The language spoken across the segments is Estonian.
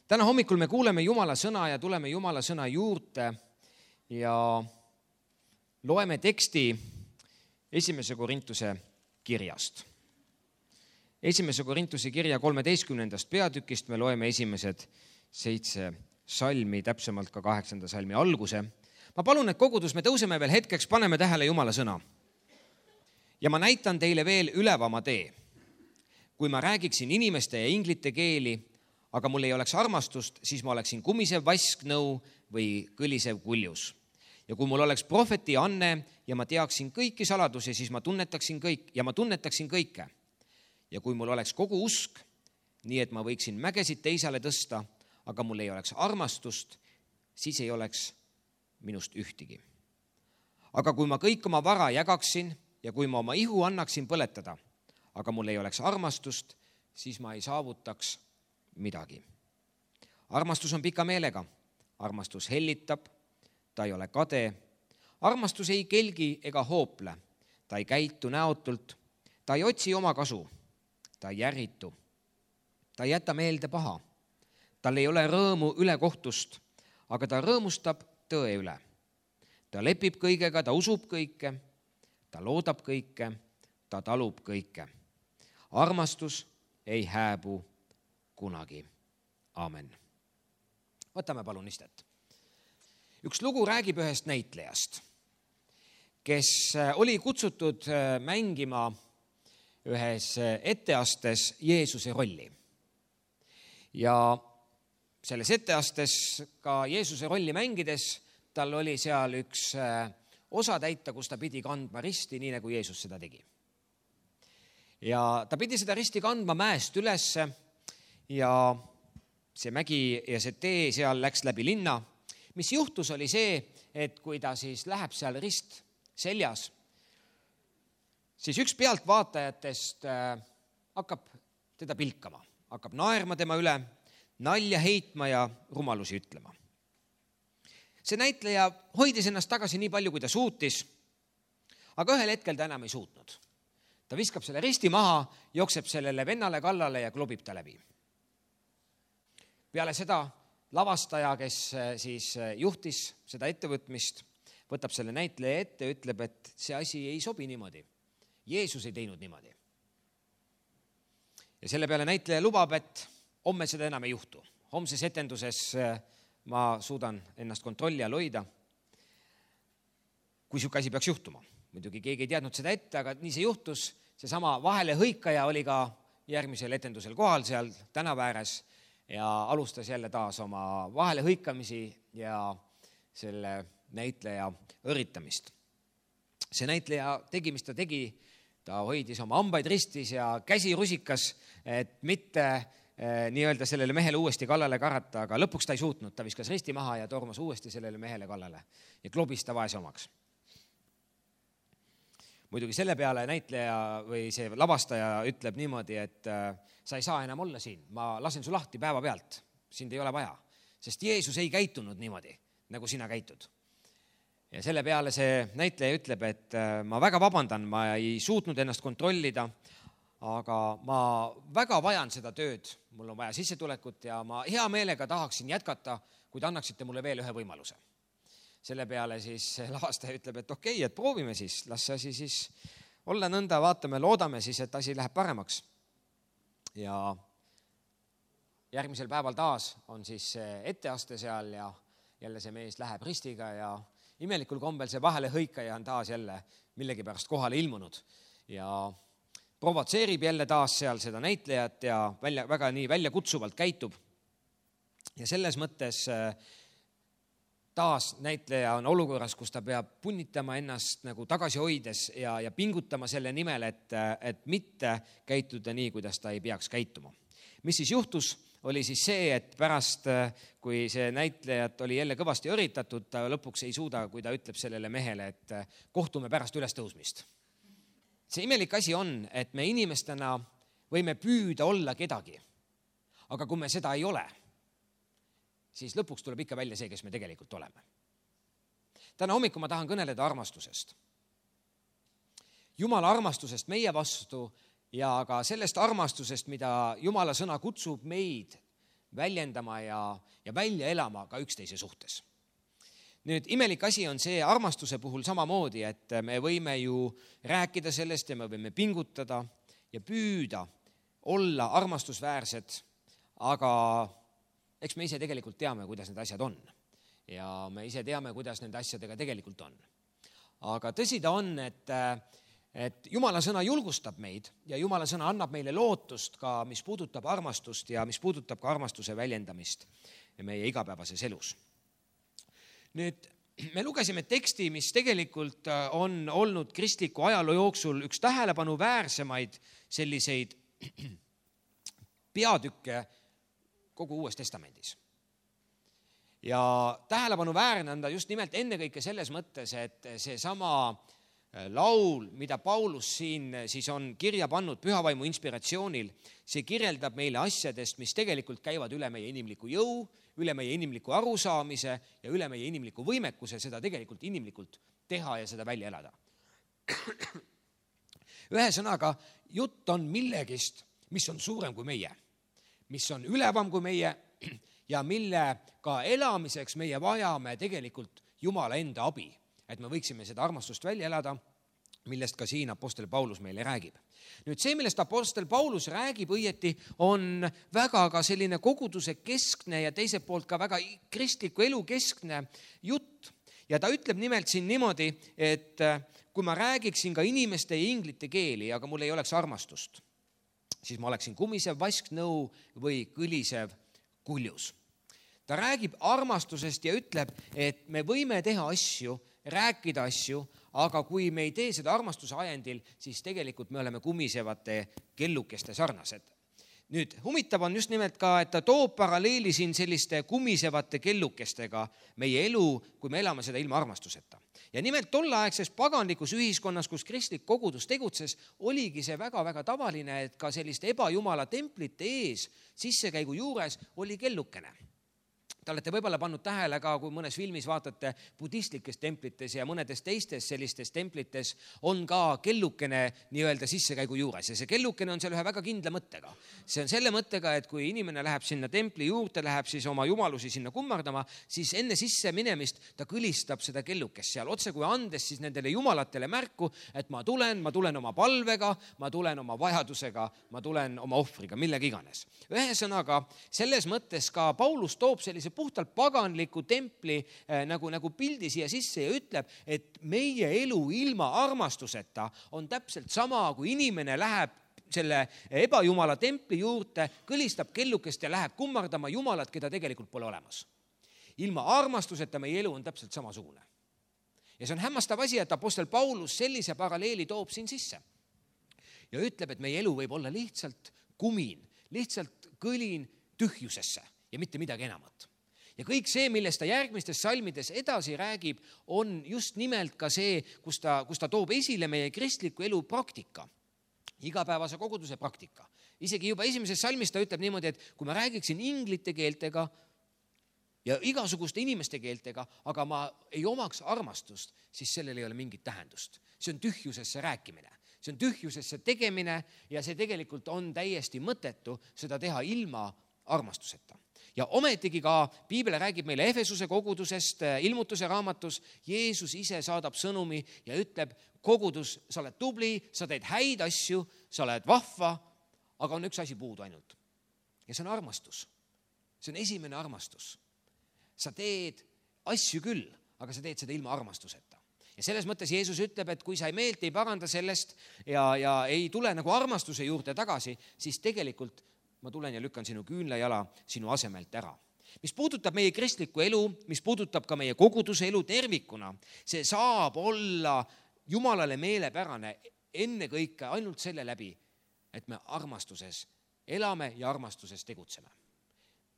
Täna hommikul me kuuleme Jumala sõna ja tuleme Jumala sõna juurde ja loeme teksti 1. Korintuse kirjast. 1. Korintuse kirja 13. peatükist me loeme esimesed 7 salmi, täpsemalt ka 8. salmi alguse. Ma palun, et kogudus, me tõuseme veel hetkeks, paneme tähele Jumala sõna. Ja ma näitan teile veel ülevama tee. Kui ma räägiksin inimeste ja inglite keeli, aga mul ei oleks armastust, siis ma oleksin kumisev vasknõu või kõlisev kuljus. Ja kui mul oleks prohveti anne ja ma teaksin kõiki saladusi, siis ma tunnetaksin kõike. Ja kui mul oleks kogu usk, nii et ma võiksin mägesid teisale tõsta, aga mul ei oleks armastust, siis ei oleks minust ühtigi. Aga kui ma kõik oma vara jagaksin ja kui ma oma ihu annaksin põletada, aga mul ei oleks armastust, siis ma ei saavutaks midagi. Armastus on pika meelega. Armastus hellitab, ta ei ole kade. Armastus ei kelgi ega hoople. Ta ei käitu näotult. Ta ei otsi oma kasu. Ta ei järritu. Ta ei jäta meelde paha. Tal ei ole rõõmu ülekohtust, aga ta rõõmustab tõe üle. Ta lepib kõigega, ta usub kõike, ta loodab kõike, ta talub kõike. Armastus ei hääbu kunagi. Aamen. Võtame palun istet. Üks lugu räägib ühest näitlejast, kes oli kutsutud mängima ühes etteastes Jeesuse rolli. Ja selles etteastes ka Jeesuse rolli mängides tal oli seal üks osa täita, kus ta pidi kandma risti, nii nagu Jeesus seda tegi. Ja ta pidi seda risti kandma mäest ülesse ja see mägi ja see tee seal läks läbi linna. Mis juhtus oli see, et kui ta siis läheb seal rist seljas, siis üks pealtvaatajatest hakkab teda pilkama, hakkab naerma tema üle, nalja heitma ja rumalusi ütlema. See näitleja hoidis ennast tagasi nii palju, kui ta suutis, aga ühel hetkel ta enam ei suutnud. Ta viskab selle risti maha, jookseb sellele vennale kallale ja klobib ta läbi. Peale seda lavastaja, kes siis juhtis seda ettevõtmist, võtab selle näitleja ette ja ütleb, et see asi ei sobi niimoodi. Jeesus ei teinud niimoodi. Ja selle peale näitleja lubab, et homme seda enam ei juhtu. Homses etenduses ma suudan ennast kontrolli all hoida, kui siuke asi peaks juhtuma. Muidugi keegi ei teadnud seda ette, aga nii see juhtus. Seesama vahelehõikaja oli ka järgmisel etendusel kohal seal tänava ääres ja alustas jälle taas oma vahelehõikamisi ja selle näitleja õritamist. See näitleja tegi, mis ta tegi. Ta hoidis oma hambaid ristis ja käsi rusikas, et mitte nii-öelda sellele mehele uuesti kallale karata, aga lõpuks ta ei suutnud. Ta viskas risti maha ja tormas uuesti sellele mehele kallale ja klobis ta vaese omaks. Muidugi selle peale näitleja või see lavastaja ütleb niimoodi, et sa ei saa enam olla siin. Ma lasen su lahti päeva pealt. Sind ei ole vaja, sest Jeesus ei käitunud niimoodi, nagu sina käitud. Ja selle peale see näitleja ütleb, et ma väga vabandan, ma ei suutnud ennast kontrollida, aga ma väga vajan seda tööd. Mul on vaja sissetulekut ja ma hea meelega tahaksin jätkata, kui te annaksite mulle veel ühe võimaluse. Selle peale siis lavastaja ütleb, et okei, et proovime siis, las see asi siis olla nõnda, vaatame, loodame siis, et asi läheb paremaks. Ja järgmisel päeval taas on siis etteaste seal ja jälle see mees läheb ristiga ja imelikul kombel see vahelehõikaja on taas jälle millegi pärast kohale ilmunud ja provotseerib jälle taas seal seda näitlejat ja väga nii välja kutsuvalt käitub. Ja selles mõttes taas näitleja on olukorras, kus ta peab punnitama ennast nagu tagasi hoides ja pingutama selle nimel, et mitte käituda nii, kuidas ta ei peaks käituma. Mis siis juhtus, oli siis see, et pärast, kui see näitlejat oli jälle kõvasti õritatud, ta lõpuks ei suuda, kui ta ütleb sellele mehele, et kohtume pärast ülestõusmist. See imelik asi on, et me inimestena võime püüda olla kedagi, aga kui me seda ei ole, siis lõpuks tuleb ikka välja see, kes me tegelikult oleme. Täna hommikul ma tahan kõneleda armastusest. Jumala armastusest meie vastu ja ka sellest armastusest, mida Jumala sõna kutsub meid väljendama ja välja elama ka üksteise suhtes. Nüüd imelik asi on see armastuse puhul samamoodi, et me võime ju rääkida sellest ja me võime pingutada ja püüda olla armastusväärsed, aga eks me ise tegelikult teame, kuidas need asjad on. Ja me ise teame, kuidas nende asjadega tegelikult on. Aga tõsi ta on, et Jumala sõna julgustab meid ja Jumala sõna annab meile lootust ka, mis puudutab armastust ja mis puudutab ka armastuse väljendamist meie igapäevases elus. Nüüd me lugesime teksti, mis tegelikult on olnud kristliku ajaloo jooksul üks tähelepanuväärsemaid selliseid peatükke kogu Uues Testamendis. Ja tähelepanuväärne on ta just nimelt ennekõike selles mõttes, et see sama laul, mida Paulus siin siis on kirja pannud pühavaimu inspiratsioonil, see kirjeldab meile asjadest, mis tegelikult käivad üle meie inimliku jõu, üle meie inimliku arusaamise ja üle meie inimliku võimekuse seda tegelikult inimlikult teha ja seda välja elada. Ühesõnaga, jutt on millegist, mis on suurem kui meie, mis on ülevam kui meie ja mille ka elamiseks meie vajame tegelikult Jumala enda abi, et me võiksime seda armastust välja elada, millest ka siin apostel Paulus meile räägib. Nüüd see, millest apostel Paulus räägib õieti, on väga ka selline koguduse keskne ja teiselt poolt ka väga kristliku elu keskne jutt. Ja ta ütleb nimelt siin niimoodi, et kui ma räägiksin ka inimeste ja inglite keeli, aga mul ei oleks armastust, siis ma oleksin kumisev vasknõu või kõlisev kuljus. Ta räägib armastusest ja ütleb, et me võime teha asju, rääkida asju, aga kui me ei tee seda armastuse ajendil, siis tegelikult me oleme kumisevate kellukeste sarnased. Nüüd, huvitav on just nimelt ka, et ta toob paralleeli siin selliste kumisevate kellukestega meie elu, kui me elame seda ilma armastuseta. Ja nimelt tolleaegses paganlikus ühiskonnas, kus kristlik kogudus tegutses, oligi see väga-väga tavaline, et ka selliste ebajumala templite ees sissekäigu juures oli kellukene. Te olete võib-olla pannud tähele ka, kui mõnes filmis vaatate budistlikes templites ja mõnedes teistes sellistes templites on ka kellukene nii-öelda sissekäigu juures. Ja see kellukene on seal ühe väga kindla mõttega. See on selle mõttega, et kui inimene läheb sinna templi juurde, läheb siis oma jumalusi sinna kummardama, siis enne sisse minemist ta kõlistab seda kellukest seal otse kui andes siis nendele jumalatele märku, et ma tulen oma palvega, ma tulen oma vajadusega, ma tulen oma ohvriga, millega iganes. Ühesõnaga, selles mõttes ka Paulus toob sellise puhtalt paganliku templi nagu pildi siia sisse ja ütleb, et meie elu ilma armastuseta on täpselt sama, kui inimene läheb selle ebajumala templi juurde, kõlistab kellukest ja läheb kummardama jumalat, keda tegelikult pole olemas. Ilma armastuseta meie elu on täpselt samasugune. Ja see on hämmastav asi, et apostel Paulus sellise paralleeli toob siin sisse. Ja ütleb, et meie elu võib olla lihtsalt kumin, lihtsalt kõlin tühjusesse ja mitte midagi enamat. Ja kõik see, millest ta järgmistes salmides edasi räägib, on just nimelt ka see, kus ta toob esile meie kristliku elu praktika, igapäevase koguduse praktika. Isegi juba esimeses salmis ta ütleb niimoodi, et kui ma räägiksin inglite keeltega ja igasuguste inimeste keeltega, aga ma ei omaks armastust, siis sellel ei ole mingit tähendust. See on tühjusesse rääkimine. See on tühjusesse tegemine ja see tegelikult on täiesti mõttetu seda teha ilma armastuseta. Ja ometigi ka Piibel räägib meile Efesuse kogudusest ilmutuse raamatus. Jeesus ise saadab sõnumi ja ütleb, kogudus, sa oled tubli, sa teed häid asju, sa oled vahva, aga on üks asi puudu ainult. Ja see on armastus. See on esimene armastus. Sa teed asju küll, aga sa teed seda ilma armastuseta. Ja selles mõttes Jeesus ütleb, et kui sa meelt ei paranda sellest ja ei tule nagu armastuse juurde tagasi, siis tegelikult ma tulen ja lükkan sinu küünlajala sinu asemelt ära. Mis puudutab meie kristlikku elu, mis puudutab ka meie koguduse elu tervikuna, see saab olla Jumalale meelepärane ennekõike ainult selle läbi, et me armastuses elame ja armastuses tegutseme.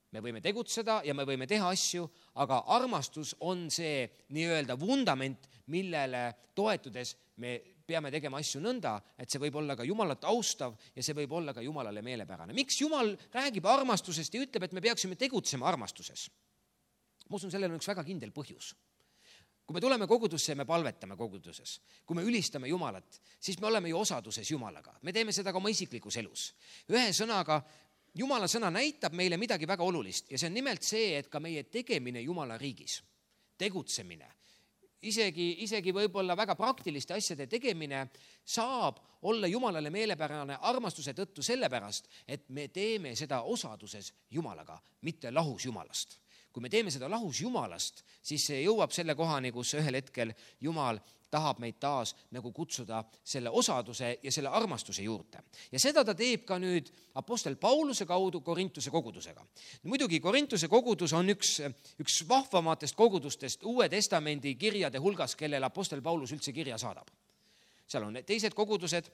Me võime tegutseda ja me võime teha asju, aga armastus on see nii-öelda vundament, millele toetudes me peame tegema asju nõnda, et see võib olla ka Jumalat austav ja see võib olla ka Jumalale meelepärane. Miks Jumal räägib armastusest ja ütleb, et me peaksime tegutsema armastuses? Ma usun, sellel on üks väga kindel põhjus. Kui me tuleme kogudusse ja me palvetame koguduses, kui me ülistame Jumalat, siis me oleme ju osaduses Jumalaga. Me teeme seda ka oma isiklikus elus. Ühesõnaga, Jumala sõna näitab meile midagi väga olulist ja see on nimelt see, et ka meie tegemine Jumala riigis, tegutsemine, isegi võib-olla väga praktiliste asjade tegemine saab olla Jumalale meelepärane armastuse tõttu sellepärast, et me teeme seda osaduses Jumalaga, mitte lahus Jumalast. Kui me teeme seda lahus Jumalast, siis see jõuab selle kohani, kus ühel hetkel Jumal tahab meid taas nagu kutsuda selle osaduse ja selle armastuse juurde. Ja seda ta teeb ka nüüd apostel Pauluse kaudu Korintuse kogudusega. Muidugi Korintuse kogudus on üks vahvamatest kogudustest Uue Testamendi kirjade hulgas, kellele apostel Paulus üldse kirja saadab. Seal on teised kogudused,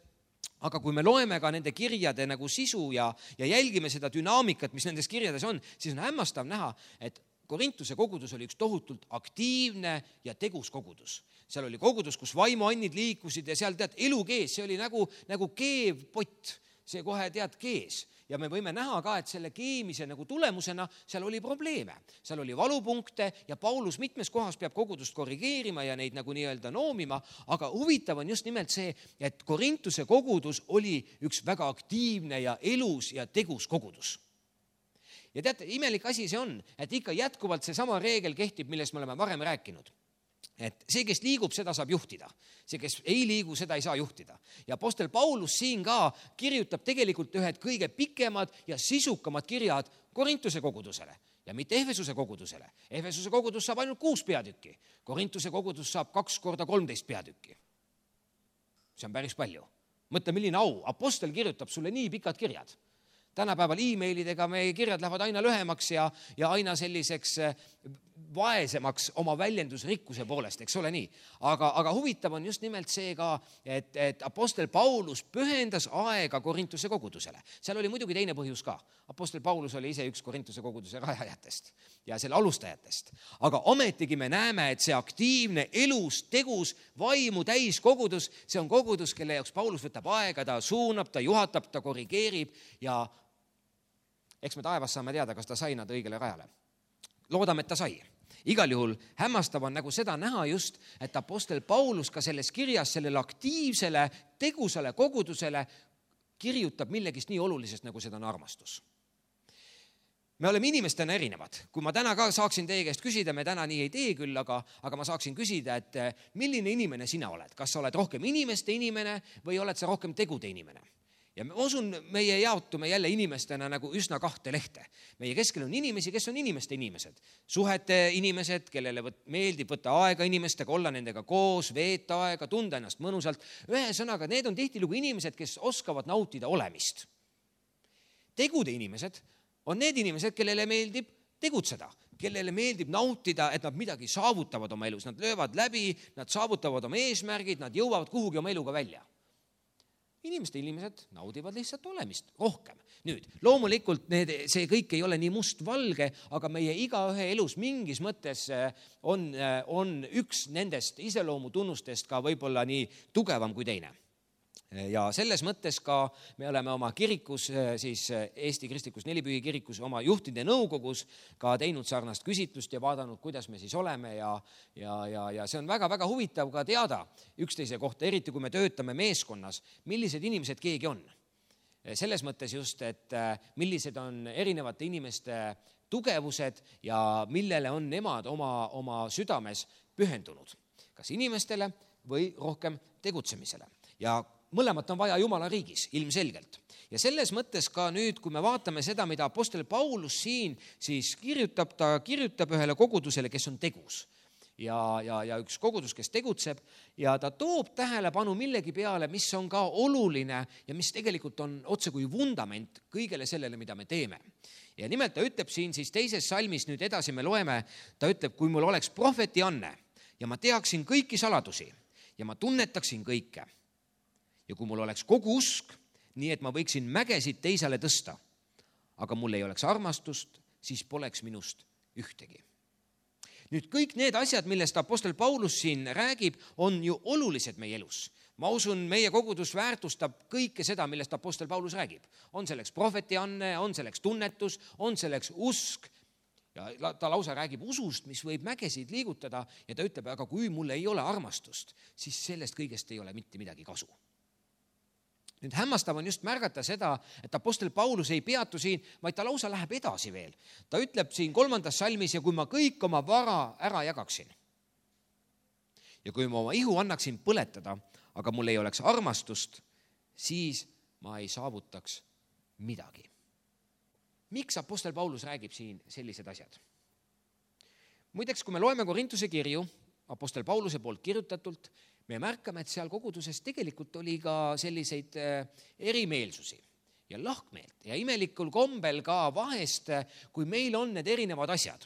aga kui me loeme ka nende kirjade nagu sisu ja jälgime seda dünaamikat, mis nendes kirjades on, siis on hämmastav näha, et Korintuse kogudus oli üks tohutult aktiivne ja tegus kogudus. Seal oli kogudus, kus vaimuannid liikusid ja seal elu kees, see oli nagu keev pott, see kohe kees. Ja me võime näha ka, et selle keemise nagu tulemusena seal oli probleeme. Seal oli valupunkte ja Paulus mitmes kohas peab kogudust korrigeerima ja neid nagu nii-öelda noomima, aga huvitav on just nimelt see, et Korintuse kogudus oli üks väga aktiivne ja elus ja tegus kogudus. Ja teate, imelik asi see on, et ikka jätkuvalt see sama reegel kehtib, millest me oleme varem rääkinud. Et see, kes liigub, seda saab juhtida. See, kes ei liigu, seda ei saa juhtida. Ja apostel Paulus siin ka kirjutab tegelikult ühed kõige pikemad ja sisukamad kirjad Korintuse kogudusele ja mitte Efesuse kogudusele. Efesuse kogudus saab ainult 6 peatükki. Korintuse kogudus saab 2 korda 13 peatükki. See on päris palju. Mõtle, milline au. Apostel kirjutab sulle nii pikad kirjad. Tänapäeval e-mailidega meie kirjad lähevad aina lühemaks ja aina selliseks vaesemaks oma väljendusrikkuse poolest, eks ole nii. Aga huvitav on just nimelt see ka, et apostel Paulus pühendas aega Korintuse kogudusele. Seal oli muidugi teine põhjus ka. Apostel Paulus oli ise üks Korintuse koguduse rajajatest ja selle alustajatest. Aga ometigi me näeme, et see aktiivne, elus, tegus, vaimu täis kogudus, see on kogudus, kelle jaoks Paulus võtab aega, ta suunab, ta juhatab, ta korrigeerib ja eks me taevas saame teada, kas ta sai nad õigele rajale. Loodame, et ta sai. Igal juhul hämmastav on nagu seda näha just, et apostel Paulus ka selles kirjas sellele aktiivsele, tegusale kogudusele kirjutab millegist nii olulisest, nagu seda on armastus. Me oleme inimestena erinevad. Kui ma täna ka saaksin teie käest küsida, me täna nii ei tee küll, aga ma saaksin küsida, et milline inimene sina oled? Kas sa oled rohkem inimeste inimene või oled sa rohkem tegude inimene? Ja ma usun, meie jaotume jälle inimestena nagu üsna 2 lehte. Meie keskel on inimesi, kes on inimeste inimesed. Suhete inimesed, kellele meeldib võtta aega inimestega, olla nendega koos, veeta aega, tunda ennast mõnusalt. Ühesõnaga, need on tihtilugu inimesed, kes oskavad nautida olemist. Tegude inimesed on need inimesed, kellele meeldib tegutseda, kellele meeldib nautida, et nad midagi saavutavad oma elus. Nad löövad läbi, nad saavutavad oma eesmärgid, nad jõuavad kuhugi oma eluga välja. Inimesed naudivad lihtsalt olemist rohkem. Nüüd, loomulikult see kõik ei ole nii mustvalge, aga meie igaühe elus mingis mõttes on üks nendest iseloomutunnustest ka võib-olla nii tugevam kui teine. Ja selles mõttes ka me oleme oma kirikus, siis Eesti Kristlikus Nelipühi kirikus, oma juhtide nõukogus ka teinud sarnast küsitlust ja vaadanud, kuidas me siis oleme ja see on väga-väga huvitav ka teada üksteise kohta, eriti kui me töötame meeskonnas, millised inimesed keegi on. Selles mõttes just, et millised on erinevate inimeste tugevused ja millele on nemad oma südames pühendunud. Kas inimestele või rohkem tegutsemisele. Ja mõlemat on vaja Jumala riigis, ilmselgelt. Ja selles mõttes ka nüüd, kui me vaatame seda, mida apostel Paulus siin siis kirjutab, ta kirjutab ühele kogudusele, kes on tegus. Ja üks kogudus, kes tegutseb ja ta toob tähelepanu millegi peale, mis on ka oluline ja mis tegelikult on otse kui vundament kõigele sellele, mida me teeme. Ja nimelt ta ütleb siin siis 2. salmis, nüüd edasi me loeme, ta ütleb, kui mul oleks prohveti anne ja ma teaksin kõiki saladusi ja ma tunnetaksin kõike. Ja kui mul oleks kogu usk, nii et ma võiksin mägesid teisele tõsta, aga mul ei oleks armastust, siis poleks minust ühtegi. Nüüd kõik need asjad, millest apostel Paulus siin räägib, on ju olulised meie elus. Ma usun, meie kogudus väärtustab kõike seda, millest apostel Paulus räägib. On selleks prohvetianne, on selleks tunnetus, on selleks usk. Ja ta lausa räägib usust, mis võib mägesid liigutada ja ta ütleb, aga kui mul ei ole armastust, siis sellest kõigest ei ole mitte midagi kasu. Nüüd hämmastav on just märgata seda, et apostel Paulus ei peatu siin, vaid ta lausa läheb edasi veel. Ta ütleb siin 3. salmis, ja kui ma kõik oma vara ära jagaksin ja kui ma oma ihu annaksin põletada, aga mul ei oleks armastust, siis ma ei saavutaks midagi. Miks apostel Paulus räägib siin sellised asjad? Muideks, kui me loeme Korintuse kirju, apostel Pauluse poolt kirjutatult, me märkame, et seal koguduses tegelikult oli ka selliseid erimeelsusi ja lahkmeelt ja imelikul kombel ka vahest, kui meil on need erinevad asjad.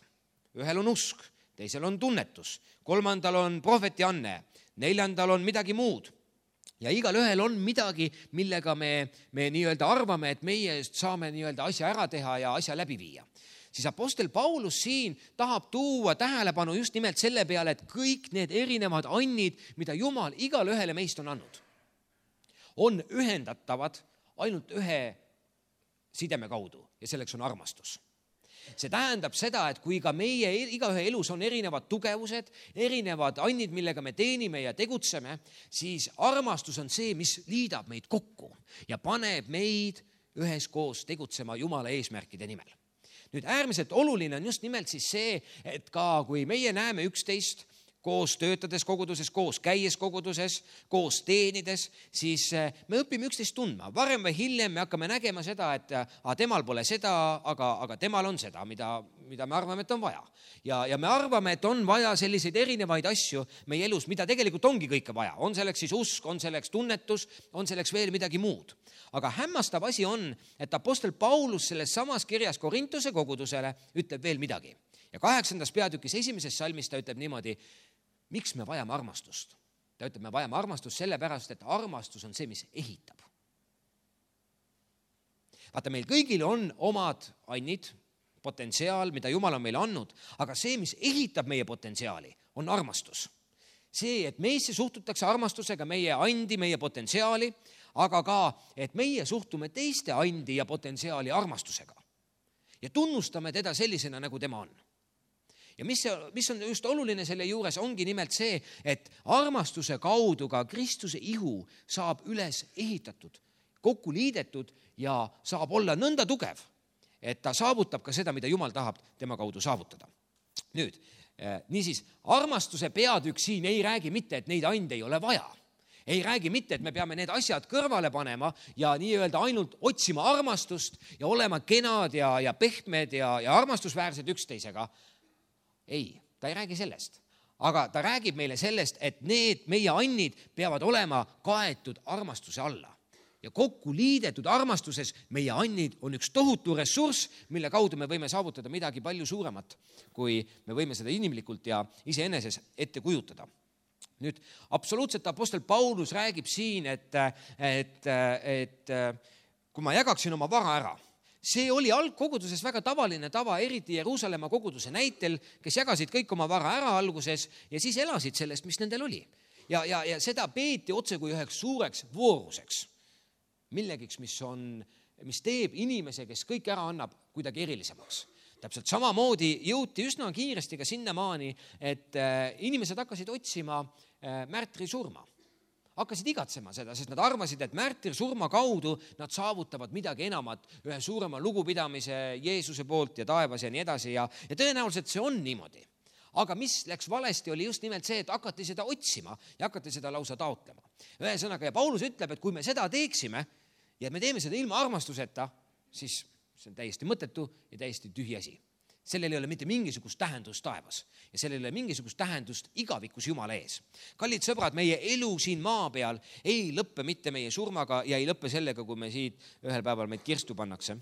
Ühel on usk, teisel on tunnetus, 3. on prohvetianne, 4. on midagi muud. Ja igal ühel on midagi, millega me nii-öelda arvame, et meie saame nii-öelda asja ära teha ja asja läbi viia. Siis apostel Paulus siin tahab tuua tähelepanu just nimelt selle peale, et kõik need erinevad annid, mida Jumal igal ühele meist on andnud, on ühendatavad ainult ühe sideme kaudu ja selleks on armastus. See tähendab seda, et kui ka meie igaühe elus on erinevad tugevused, erinevad annid, millega me teenime ja tegutseme, siis armastus on see, mis liidab meid kokku ja paneb meid üheskoos tegutsema Jumala eesmärkide nimel. Nüüd äärmiselt oluline on just nimelt siis see, et ka kui meie näeme üksteist koos töötades koguduses, koos käies koguduses, koos teenides, siis me õpime üksteist tundma. Varem või hiljem me hakkame nägema seda, et temal pole seda, aga temal on seda, mida me arvame, et on vaja. Ja me arvame, et on vaja selliseid erinevaid asju meie elus, mida tegelikult ongi kõike vaja. On selleks siis usk, on selleks tunnetus, on selleks veel midagi muud. Aga hämmastav asi on, et apostel Paulus selles samas kirjas Korintuse kogudusele ütleb veel midagi. Ja 8. peatükis 1. salmis ta ütleb niimoodi, miks me vajame armastust? Ta ütleb, me vajame armastust sellepärast, et armastus on see, mis ehitab. Vaata, meil kõigil on omad annid, potentsiaal, mida Jumal on meile andnud, aga see, mis ehitab meie potentsiaali, on armastus. See, et meisse suhtutakse armastusega meie andi, meie potentsiaali, aga ka, et meie suhtume teiste andi ja potentsiaali armastusega ja tunnustame teda sellisena, nagu tema on. Ja mis on just oluline selle juures, ongi nimelt see, et armastuse kaudu ka Kristuse ihu saab üles ehitatud, kokku liidetud ja saab olla nõnda tugev, et ta saavutab ka seda, mida Jumal tahab tema kaudu saavutada. Nüüd, niisiis, armastuse peatükk siin ei räägi mitte, et neid ande ei ole vaja. Ei räägi mitte, et me peame need asjad kõrvale panema ja nii-öelda ainult otsima armastust ja olema kenad ja pehmed ja armastusväärsed üksteisega. Ei, ta ei räägi sellest. Aga ta räägib meile sellest, et need meie annid peavad olema kaetud armastuse alla. Ja kokku liidetud armastuses meie annid on üks tohutu ressurss, mille kaudu me võime saavutada midagi palju suuremat, kui me võime seda inimlikult ja iseeneses ette kujutada. Nüüd, absoluutselt apostel Paulus räägib siin, et kui ma jagaksin oma vara ära, see oli algkoguduses väga tavaline tava, eriti Jeruusalemma koguduse näitel, kes jagasid kõik oma vara ära alguses ja siis elasid sellest, mis nendel oli. Ja seda peeti otse kui üheks suureks vooruseks, millegiks, mis teeb inimese, kes kõik ära annab, kuidagi erilisemaks. Täpselt samamoodi jõuti üsna kiiresti ka sinnamaani, et inimesed hakkasid otsima märtri surma. Hakkasid igatsema seda, sest nad arvasid, et märtri surma kaudu nad saavutavad midagi enamat, ühe suurema lugupidamise Jeesuse poolt ja taevas ja nii edasi. Ja tõenäoliselt see on niimoodi. Aga mis läks valesti, oli just nimelt see, et hakati seda otsima ja hakati seda lausa taotlema. Ühesõnaga, ja Paulus ütleb, et kui me seda teeksime ja me teeme seda ilma armastuseta, siis see on täiesti mõttetu ja täiesti tühi asi. Sellel ei ole mitte mingisugust tähendust taevas ja sellel ei ole mingisugust tähendust igavikus Jumala ees. Kallid sõbrad, meie elu siin maa peal ei lõppe mitte meie surmaga ja ei lõppe sellega, kui me siit ühel päeval meid kirstu pannakse,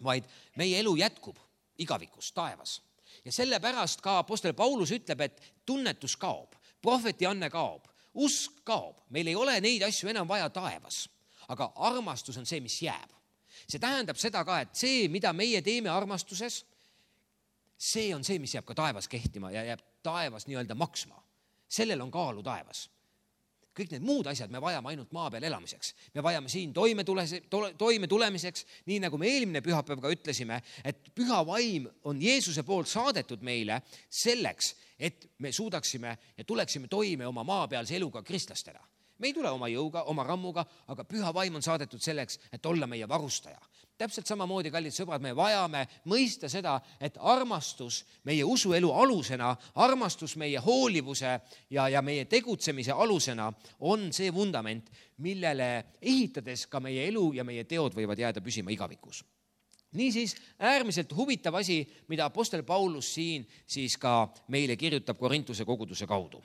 vaid meie elu jätkub igavikus taevas. Ja sellepärast ka apostel Paulus ütleb, et tunnetus kaob, prohvetianne kaob, usk kaob. Meil ei ole neid asju enam vaja taevas, aga armastus on see, mis jääb. See tähendab seda ka, et see, mida meie teeme armastuses, see on see, mis jääb ka taevas kehtima ja jääb taevas nii-öelda maksma. Sellel on kaalu taevas. Kõik need muud asjad me vajame ainult maa peal elamiseks. Me vajame siin toime tulemiseks, nii nagu me eelmine pühapäev ka ütlesime, et püha vaim on Jeesuse poolt saadetud meile selleks, et me suudaksime ja tuleksime toime oma maapealse eluga kristlastena. me ei tule oma jõuga, oma rammuga, aga püha vaim on saadetud selleks, et olla meie varustaja. Täpselt samamoodi, kallid sõbrad, me vajame mõista seda, et armastus meie usuelu alusena, armastus meie hoolivuse ja meie tegutsemise alusena on see vundament, millele ehitades ka meie elu ja meie teod võivad jääda püsima igavikus. Niisiis äärmiselt huvitav asi, mida apostel Paulus siin siis ka meile kirjutab Korintuse koguduse kaudu.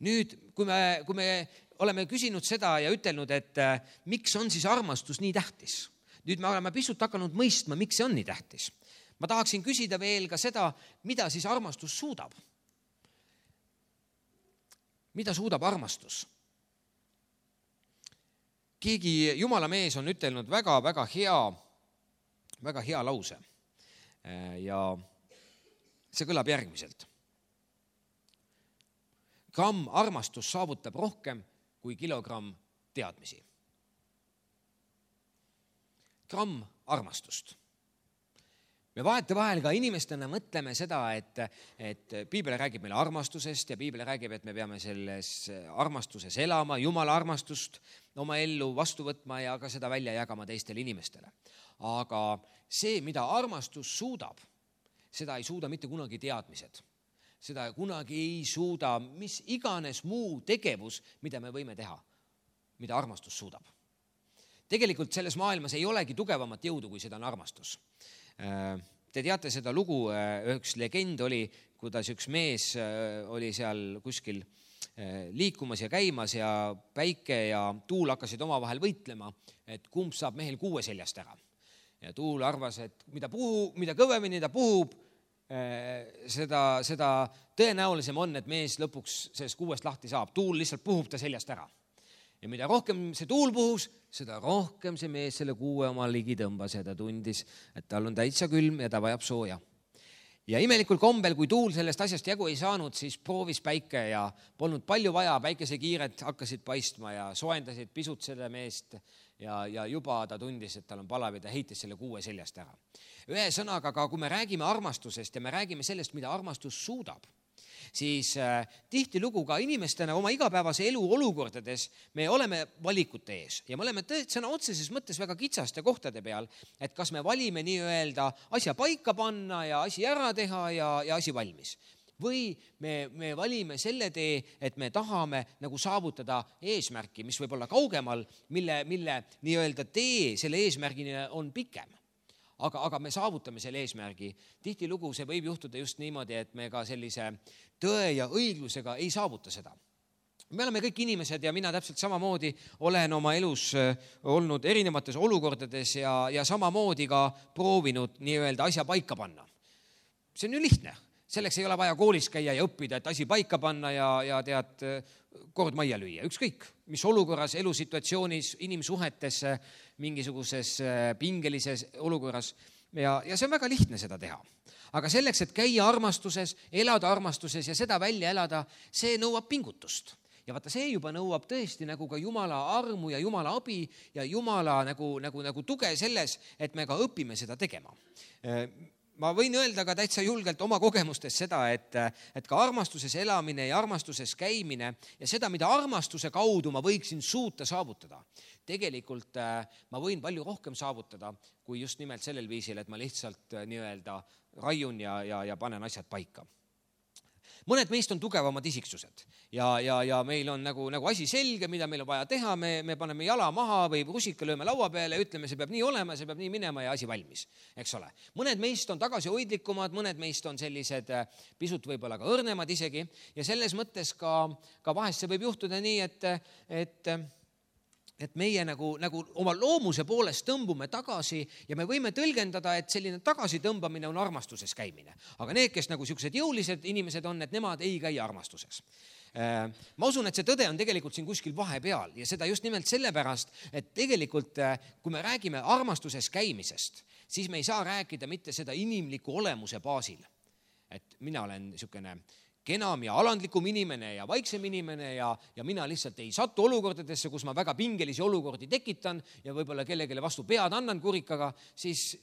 Nüüd, kui me oleme küsinud seda ja ütelnud, et miks on siis armastus nii tähtis? Nüüd me oleme pisut hakanud mõistma, miks see on nii tähtis. Ma tahaksin küsida veel ka seda, mida siis armastus suudab. Mida suudab armastus? Keegi Jumala mees on ütelnud väga hea lause. Ja see kõlab järgmiselt. Gramm armastus saavutab rohkem kui kilogramm teadmisi. Gramm armastust. Me vahetevahel ka inimestena mõtleme seda, et piibel räägib meile armastusest ja piibel räägib, et me peame selles armastuses elama, Jumala armastust oma ellu vastu võtma ja ka seda välja jagama teistele inimestele. Aga see, mida armastus suudab, seda ei suuda mitte kunagi teadmised. Seda kunagi ei suuda mis iganes muu tegevus, mida me võime teha, mida armastus suudab. Tegelikult selles maailmas ei olegi tugevamat jõudu, kui seda on armastus. Te teate seda lugu, üks legend oli, kuidas üks mees oli seal kuskil liikumas ja käimas ja päike ja tuul hakkasid omavahel võitlema, et kumb saab mehel kuue seljast ära. Ja tuul arvas, et mida kõvemini ta puhub, seda tõenäolisem on, et mees lõpuks sellest kuuest lahti saab. Tuul lihtsalt puhub ta seljast ära. Ja mida rohkem see tuul puhus, seda rohkem see mees selle kuue oma ligi tõmbas ja ta tundis, et tal on täitsa külm ja ta vajab sooja. Ja imelikul kombel, kui tuul sellest asjast jagu ei saanud, siis proovis päike ja polnud palju vaja, päikesekiired hakkasid paistma ja soojendasid pisut selle meest ja juba ta tundis, et tal on palav ja ta heitis selle kuue seljast ära. Ühe sõnaga, aga kui me räägime armastusest ja me räägime sellest, mida armastus suudab, siis tihtilugu ka inimestena oma igapäevase elu olukordades me oleme valikute ees ja me oleme sõna otseses mõttes väga kitsaste kohtade peal, et kas me valime nii-öelda asja paika panna ja asi ära teha ja asi valmis. Või me valime selle tee, et me tahame nagu saavutada eesmärki, mis võib olla kaugemal, mille nii-öelda tee selle eesmärgini on pikem. Aga me saavutame selle eesmärgi. Tihtilugu see võib juhtuda just niimoodi, et me ka sellise tõe ja õiglusega ei saavuta seda. Me oleme kõik inimesed ja mina täpselt samamoodi olen oma elus olnud erinevates olukordades ja samamoodi ka proovinud nii-öelda asja paika panna. See on ju lihtne. Selleks ei ole vaja koolis käia ja õppida, et asi paika panna ja tead kord majja lüüa. Ükskõik, mis olukorras, elusituatsioonis, inimsuhetes, mingisuguses pingelises olukorras ja see on väga lihtne seda teha. Aga selleks, et käia armastuses, elada armastuses ja seda välja elada, see nõuab pingutust. Ja vaata, see juba nõuab tõesti nagu ka Jumala armu ja Jumala abi ja Jumala nagu tuge selles, et me ka õpime seda tegema. Ma võin öelda ka täitsa julgelt oma kogemustes seda, et ka armastuses elamine ja armastuses käimine ja seda, mida armastuse kaudu ma võiksin suuta saavutada. Tegelikult ma võin palju rohkem saavutada, kui just nimelt sellel viisil, et ma lihtsalt nii-öelda raiun ja panen asjad paika. Mõned meist on tugevamad isiksused ja meil on nagu asi selge, mida meil on vaja teha, me paneme jala maha või rusika lööme laua peale ja ütleme, see peab nii olema, see peab nii minema ja asi valmis, eks ole. Mõned meist on tagasihoidlikumad, mõned meist on sellised pisut võib-olla ka õrnemad isegi ja selles mõttes ka vahest see võib juhtuda nii, et meie nagu oma loomuse poolest tõmbume tagasi ja me võime tõlgendada, et selline tagasitõmbamine on armastuses käimine. Aga need, kes nagu sellised jõulised inimesed on, et nemad ei käi armastuses. Ma usun, et see tõde on tegelikult siin kuskil vahepeal ja seda just nimelt sellepärast, et tegelikult kui me räägime armastuses käimisest, siis me ei saa rääkida mitte seda inimliku olemuse baasil. Et mina olen niisugune kenam ja alandlikum inimene ja vaiksem inimene ja mina lihtsalt ei satu olukordadesse, kus ma väga pingelisi olukordi tekitan ja võib-olla kellegile vastu pead annan kurikaga, siis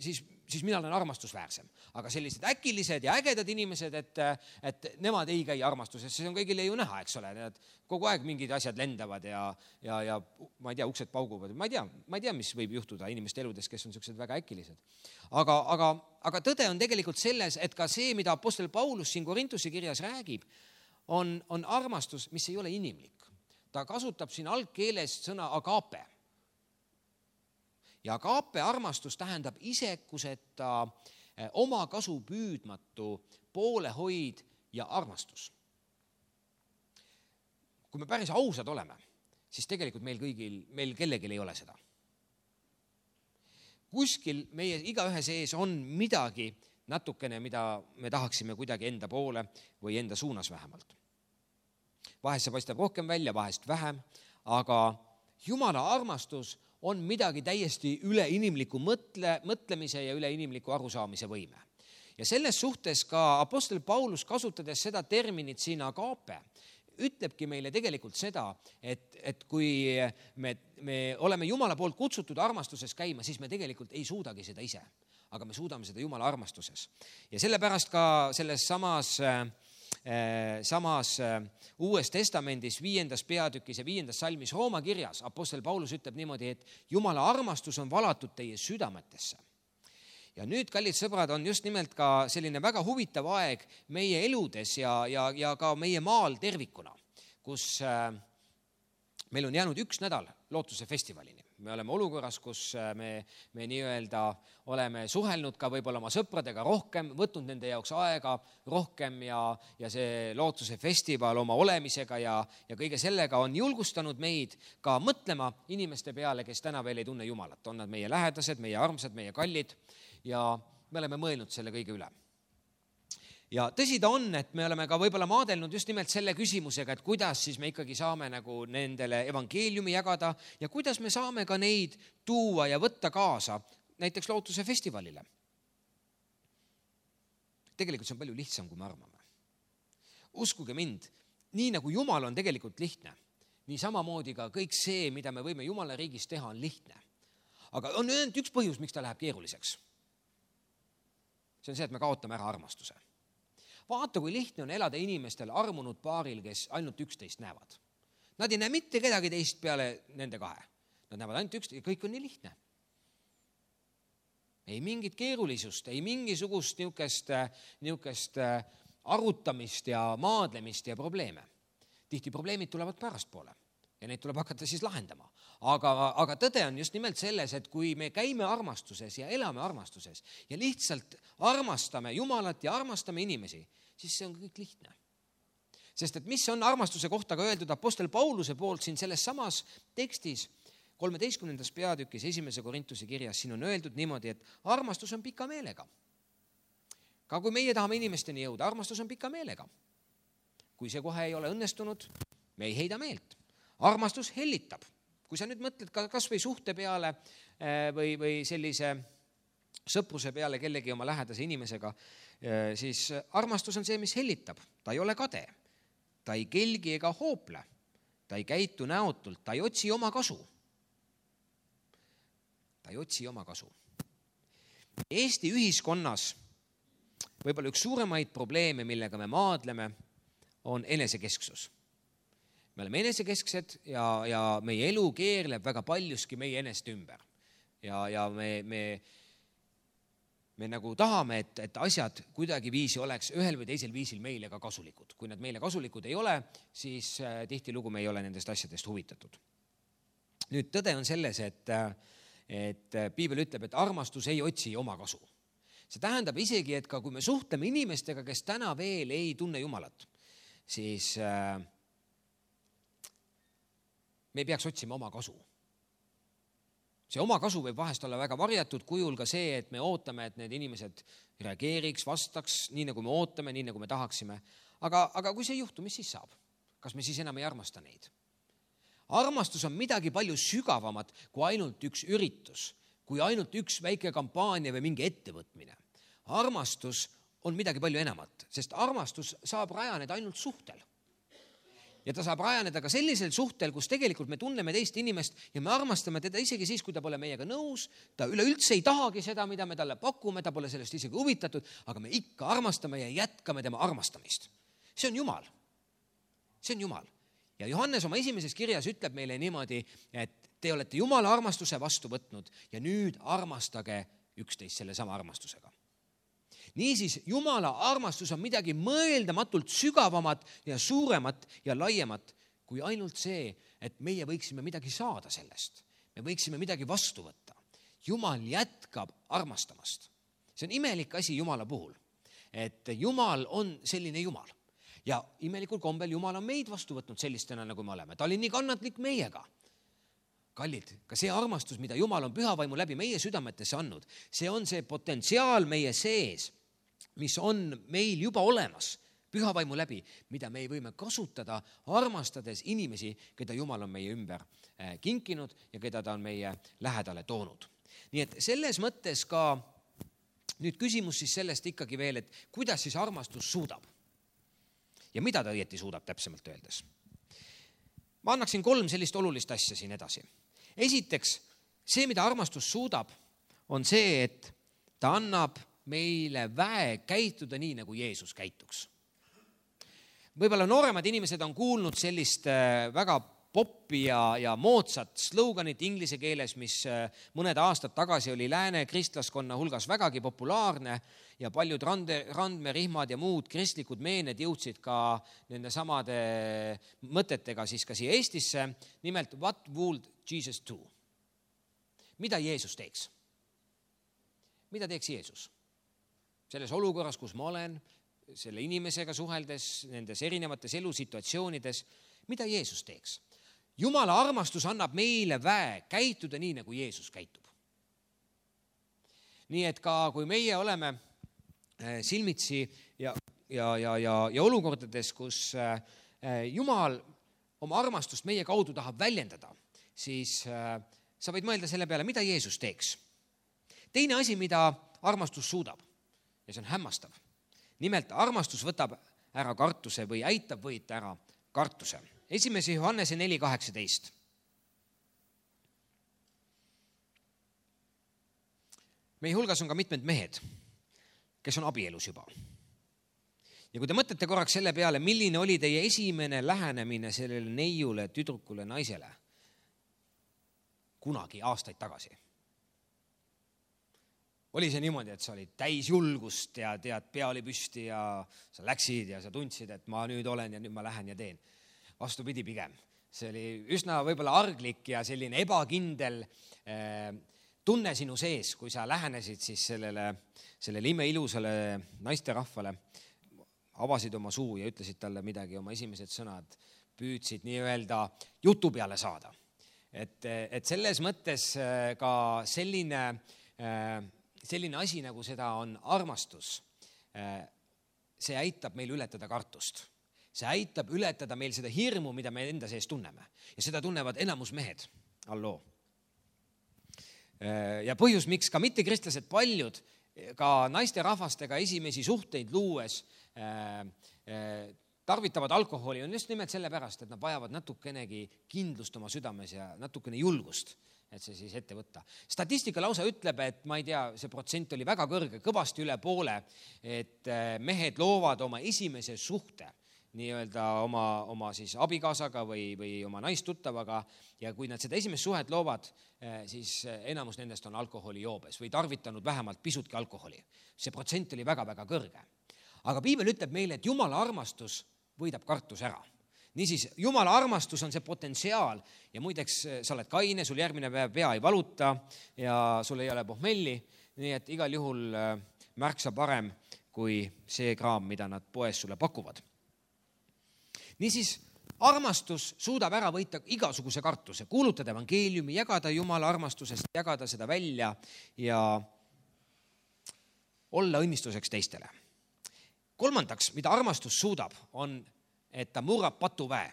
siis mina olen armastusväärsem. Aga sellised äkilised ja ägedad inimesed, et nemad ei käi armastuses, see on kõigile ju näha, eks ole, kogu aeg mingid asjad lendavad ja ma ei tea, uksed pauguvad, ma ei tea, mis võib juhtuda inimeste eludes, kes on sellised väga äkilised. Aga tõde on tegelikult selles, et ka see, mida apostel Paulus siin Korintuse kirjas räägib, on armastus, mis ei ole inimlik. Ta kasutab siin algkeeles sõna agape. Ja agape armastus tähendab isekuseta oma kasu püüdmatu poolehoid ja armastus. Kui me päris ausad oleme, siis tegelikult meil kellelgi ei ole seda. Kuskil meie igaühe sees on midagi natukene, mida me tahaksime kuidagi enda poole või enda suunas vähemalt. Vahest see paistab rohkem välja, vahest vähem, aga Jumala armastus on midagi täiesti üleinimliku mõtlemise ja üleinimliku arusaamise võime. Ja selles suhtes ka apostel Paulus, kasutades seda terminit siin agape, ütlebki meile tegelikult seda, et kui me oleme Jumala poolt kutsutud armastuses käima, siis me tegelikult ei suudagi seda ise, aga me suudame seda Jumala armastuses. Ja sellepärast ka selles samas Uues Testamendis 5. peatükis ja 5. salmis Rooma kirjas apostel Paulus ütleb niimoodi, et Jumala armastus on valatud teie südametesse. Ja nüüd, kallid sõbrad, on just nimelt ka selline väga huvitav aeg meie eludes ja ka meie maal tervikuna, kus meil on jäänud 1 nädal lootuse festivalini. Me oleme olukorras, kus me nii-öelda oleme suhelnud ka võib-olla oma sõpradega rohkem, võtnud nende jaoks aega rohkem ja see lootuse festival oma olemisega ja kõige sellega on julgustanud meid ka mõtlema inimeste peale, kes täna veel ei tunne Jumalat. On nad meie lähedased, meie armsad, meie kallid ja me oleme mõelnud selle kõige üle. Ja tõsi ta on, et me oleme ka võib-olla maadelnud just nimelt selle küsimusega, et kuidas siis me ikkagi saame nagu nendele evangeeliumi jagada ja kuidas me saame ka neid tuua ja võtta kaasa näiteks lootuse festivalile. Tegelikult see on palju lihtsam, kui me arvame. Uskuge mind, nii nagu Jumal on tegelikult lihtne, nii samamoodi ka kõik see, mida me võime Jumala riigis teha, on lihtne. Aga on ainult üks põhjus, miks ta läheb keeruliseks. See on see, et me kaotame ära armastuse. Vaata, kui lihtne on elada inimestel armunud paaril, kes ainult 11 näevad. Nad ei näe mitte kedagi teist peale nende 2. Nad näevad ainult 11 ja kõik on nii lihtne. Ei mingit keerulisust, ei mingisugust niukest arutamist ja maadlemist ja probleeme. Tihti probleemid tulevad pärastpoole ja neid tuleb hakata siis lahendama. Aga tõde on just nimelt selles, et kui me käime armastuses ja elame armastuses ja lihtsalt armastame Jumalat ja armastame inimesi, siis see on kõik lihtne. Sest et mis on armastuse kohta ka öeldud apostel Pauluse poolt siin selles samas tekstis 13. peatükis 1. Korintuse kirjas, siin on öeldud niimoodi, et armastus on pika meelega. Ka kui meie tahame inimesteni jõuda, armastus on pika meelega. Kui see kohe ei ole õnnestunud, me ei heida meelt. Armastus hellitab. Kui sa nüüd mõtled kas või suhte peale või sellise sõpruse peale kellegi oma lähedase inimesega, siis armastus on see, mis hellitab. Ta ei ole kade, ta ei kelgi ega hoople, ta ei käitu näotult, ta ei otsi oma kasu. Ta ei otsi oma kasu. Eesti ühiskonnas võib-olla üks suuremaid probleeme, millega me maadleme, on enesekesksus. Me oleme enesekesksed ja meie elu keerleb väga paljuski meie eneste ümber. Ja me nagu tahame, et asjad kuidagi viisi oleks ühel või teisel viisil meile ka kasulikud. Kui nad meile kasulikud ei ole, siis tihtilugu me ei ole nendest asjadest huvitatud. Nüüd tõde on selles, et piibel ütleb, et armastus ei otsi oma kasu. See tähendab isegi, et ka kui me suhtleme inimestega, kes täna veel ei tunne Jumalat, siis me ei peaks otsima oma kasu. See oma kasu võib vahest olla väga varjatud kujul ka see, et me ootame, et need inimesed reageeriks, vastaks nii, nagu me ootame, nii, nagu me tahaksime. Aga kui see ei juhtu, mis siis saab? Kas me siis enam ei armasta neid? Armastus on midagi palju sügavamat kui ainult üks üritus, kui ainult üks väike kampaania või mingi ettevõtmine. Armastus on midagi palju enamat, sest armastus saab rajaneda ainult suhtel. Ja ta saab rajaneda ka sellisel suhtel, kus tegelikult me tunneme teist inimest ja me armastame teda isegi siis, kui ta pole meiega nõus, ta üleüldse ei tahagi seda, mida me talle pakume, ta pole sellest isegi huvitatud, aga me ikka armastame ja jätkame tema armastamist. See on Jumal. See on Jumal. Ja Johannes oma esimeses kirjas ütleb meile niimoodi, et te olete Jumala armastuse vastu võtnud ja nüüd armastage üksteist selle sama armastusega. Niisiis, Jumala armastus on midagi mõeldamatult sügavamat ja suuremat ja laiemat kui ainult see, et meie võiksime midagi saada sellest. Me võiksime midagi vastu võtta. Jumal jätkab armastamast. See on imelik asi Jumala puhul, et Jumal on selline Jumal. Ja imelikul kombel Jumal on meid vastu võtnud sellistena, nagu me oleme. Ta oli nii kannatlik meiega. Kallid, ka see armastus, mida Jumal on pühavaimu läbi meie südametesse andnud, see on see potentsiaal meie sees, mis on meil juba olemas pühavaimu läbi, mida me ei võime kasutada armastades inimesi, keda Jumal on meie ümber kinkinud ja keda ta on meie lähedale toonud. Nii et selles mõttes ka nüüd küsimus siis sellest ikkagi veel, et kuidas siis armastus suudab ja mida ta õieti suudab täpsemalt öeldes. Ma annaksin 3 sellist olulist asja siin edasi. Esiteks, see, mida armastus suudab, on see, et ta annab meile väe käituda nii, nagu Jeesus käituks. Võib-olla nooremad inimesed on kuulnud sellist väga poppi ja moodsat sloganit inglise keeles, mis mõned aastad tagasi oli lääne kristlaskonna hulgas vägagi populaarne ja paljud randmerihmad ja muud kristlikud meened jõudsid ka nende samade mõtetega siis ka siia Eestisse. Nimelt, what would Jesus do? Mida Jeesus teeks? Mida teeks Jeesus? Selles olukorras, kus ma olen, selle inimesega suheldes, nendes erinevates elusituatsioonides, mida Jeesus teeks? Jumala armastus annab meile väe käituda nii, nagu Jeesus käitub. Nii et ka kui meie oleme silmitsi ja olukordades, kus Jumal oma armastust meie kaudu tahab väljendada, siis sa võid mõelda selle peale, mida Jeesus teeks. Teine asi, mida armastus suudab, ja see on hämmastav. Nimelt, armastus võtab ära kartuse või aitab võita ära kartuse. 1. Johannese 4:18. Meie hulgas on ka mitmed mehed, kes on abielus juba. Ja kui te mõtlete korraks selle peale, milline oli teie esimene lähenemine sellele neiule, tüdrukule, naisele kunagi aastaid tagasi. Oli see niimoodi, et sa olid täis julgust ja tead, pea oli püsti ja sa läksid ja sa tundsid, et ma nüüd olen ja nüüd ma lähen ja teen. Vastupidi pigem. See oli üsna võib-olla arglik ja selline ebakindel tunne sinu sees, kui sa lähenesid siis sellele imeilusale naisterahvale, avasid oma suu ja ütlesid talle midagi, oma esimesed sõnad, püüdsid nii-öelda jutu peale saada. Et selles mõttes ka selline asi, nagu seda on armastus, see aitab meil ületada kartust. See aitab ületada meil seda hirmu, mida me enda sees tunneme. Ja seda tunnevad enamus mehed. Alloo. Ja põhjus, miks ka mittekristlased paljud, ka naisterahvastega esimesi suhteid luues tarvitavad alkoholi, on just nimelt sellepärast, et nad vajavad natukenegi kindlust oma südames ja natukene julgust, et see siis ette võtta. Statistika lausa ütleb, et ma ei tea, see protsent oli väga kõrge, kõvasti üle poole, et mehed loovad oma esimese suhte nii-öelda oma siis abikaasaga või oma naistuttavaga ja kui nad seda esimest suhet loovad, siis enamus nendest on alkoholijoobes või tarvitanud vähemalt pisutki alkoholi. See protsent oli väga-väga kõrge. Aga piibel ütleb meile, et Jumala armastus võidab kartus ära. Niisiis, Jumala armastus on see potentsiaal ja muideks sa oled kaine, sul järgmine päev pea ei valuta ja sul ei ole pohmelli, nii et igal juhul märksa parem kui see kraam, mida nad poes sulle pakuvad. Niisiis, armastus suudab ära võita igasuguse kartuse, kuulutada evangeeliumi, jagada Jumala armastusest, jagada seda välja ja olla õnnistuseks teistele. Kolmandaks, mida armastus suudab, on, et ta murrab patuväe.